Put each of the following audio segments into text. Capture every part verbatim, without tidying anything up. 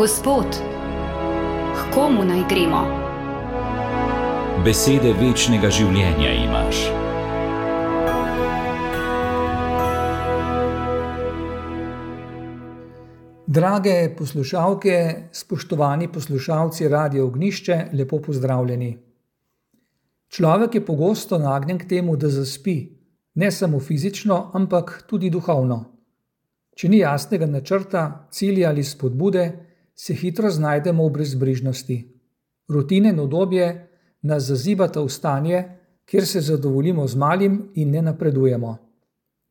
Gospod, k komu naj gremo? Besede večnega življenja imaš. Drage poslušalke, spoštovani poslušalci Radia Ognjišče, lepo pozdravljeni. Človek je pogosto nagnjen k temu, da zaspi, ne samo fizično, ampak tudi duhovno. Če ni jasnega načrta, cilja ali spodbude, se hitro znajdemo v brezbrižnosti. Rutine in udobje nas zazibata v stanje, kjer se zadovoljimo z malim in ne napredujemo.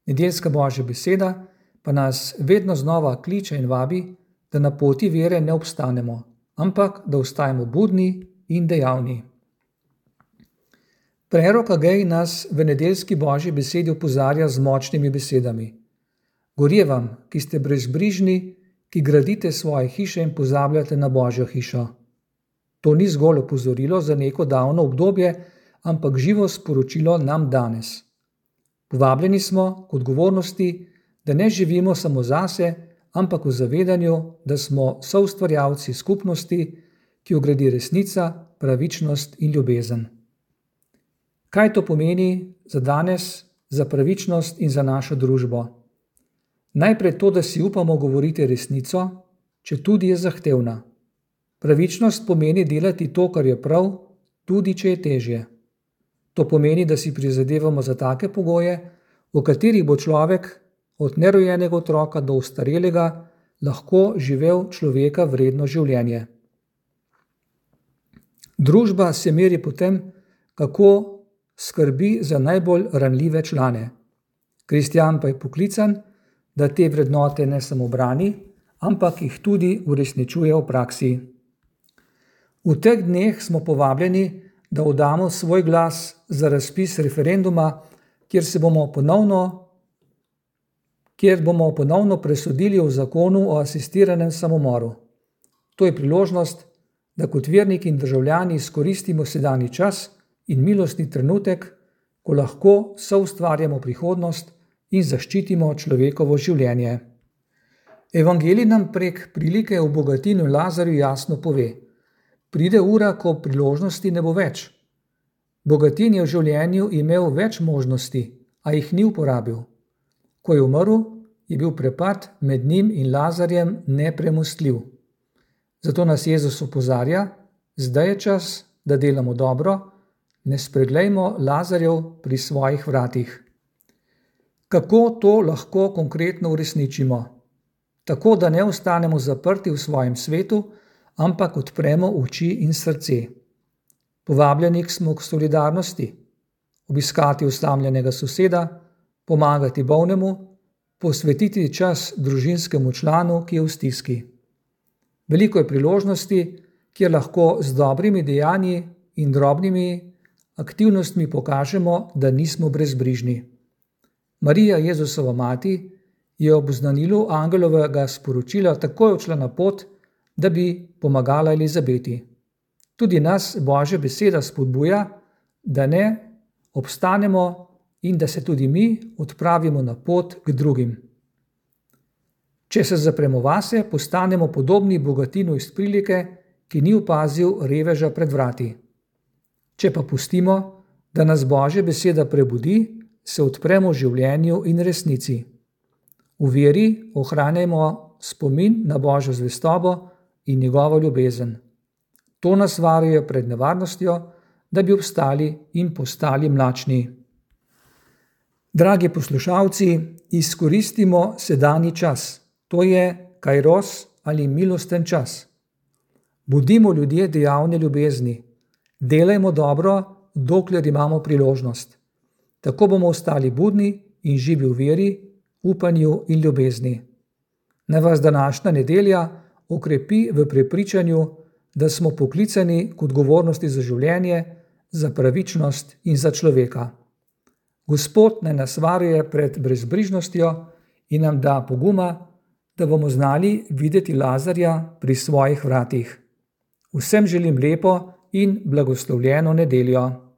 Nedeljska Božja beseda pa nas vedno znova kliče in vabi, da na poti vere ne obstanemo, ampak da ostajamo budni in dejavni. Prerok Agej nas v nedeljski Božji besedi opozarja z močnimi besedami. Gorje vam, ki ste brezbrižni, ki gradite svoje hiše in pozabljate na Božjo hišo. To ni zgolj opozorilo za neko davno obdobje, ampak živo sporočilo nam danes. Povabljeni smo k odgovornosti, da ne živimo samo zase, ampak v zavedanju, da smo soustvarjalci skupnosti, ki jo gradi resnica, pravičnost in ljubezen. Kaj to pomeni za danes, za pravičnost in za našo družbo? Najprej to, da si upamo govoriti resnico, četudi je zahtevna. Pravičnost pomeni delati to, kar je prav, tudi če je težje. To pomeni, da si prizadevamo za take pogoje, v katerih bo človek od nerojenega otroka do ostarelega lahko živel človeka vredno življenje. Družba se meri po tem, kako skrbi za najbolj ranljive člane. Kristjan pa je poklican, da te vrednote ne samo brani, ampak jih tudi uresničuje v praksi. V teh dneh smo povabljeni, da oddamo svoj glas za razpis referenduma, kjer se bomo ponovno kjer bomo ponovno presodili o zakonu o asistiranem samomoru. To je priložnost, da kot verniki in državljani izkoristimo sedanji čas in milostni trenutek, ko lahko soustvarjamo prihodnost in zaščitimo človekovo življenje. Evangelij nam prek prilike o Bogatinu in Lazarju jasno pove: pride ura, ko priložnosti ne bo več. Bogatin je v življenju imel več možnosti, a jih ni uporabil. Ko je umrl, je bil prepad med njim in Lazarjem nepremostljiv. Zato nas Jezus opozarja, zdaj je čas, da delamo dobro, ne spreglejmo Lazarjev pri svojih vratih. Kako to lahko konkretno uresničimo? Tako, da ne ostanemo zaprti v svojem svetu, ampak odpremo oči in srce. Povabljeni smo k solidarnosti, obiskati osamljenega soseda, pomagati bolnemu, posvetiti čas družinskemu članu, ki je v stiski. Veliko je priložnosti, kjer lahko z dobrimi dejanji in drobnimi aktivnostmi pokažemo, da nismo brezbrižni. Marija, Jezusova mati, je ob oznanilu angelovega sporočila takoj odšla na pot, da bi pomagala Elizabeti. Tudi nas Božja beseda spodbuja, da ne obstanemo in da se tudi mi odpravimo na pot k drugim. Če se zapremo vase, postanemo podobni Bogatinu iz prilike, ki ni opazil reveža pred vrati. Če pa pustimo, da nas Božja beseda prebudi, se odpremo življenju in resnici. V veri ohranjajmo spomin na Božjo zvestobo in njegovo ljubezen. To nas varuje pred nevarnostjo, da bi obstali in postali mlačni. Dragi poslušalci, izkoristimo sedanji čas, to je kairos ali milosten čas. Budimo ljudje dejavne ljubezni, delajmo dobro, dokler imamo priložnost. Tako bomo ostali budni in živi v veri, upanju in ljubezni. Naj vas današnja nedelja okrepi v prepričanju, da smo poklicani k odgovornosti za življenje, za pravičnost in za človeka. Gospod naj nas varuje pred brezbrižnostjo in nam da poguma, da bomo znali videti Lazarja pri svojih vratih. Vsem želim lepo in blagoslovljeno nedeljo.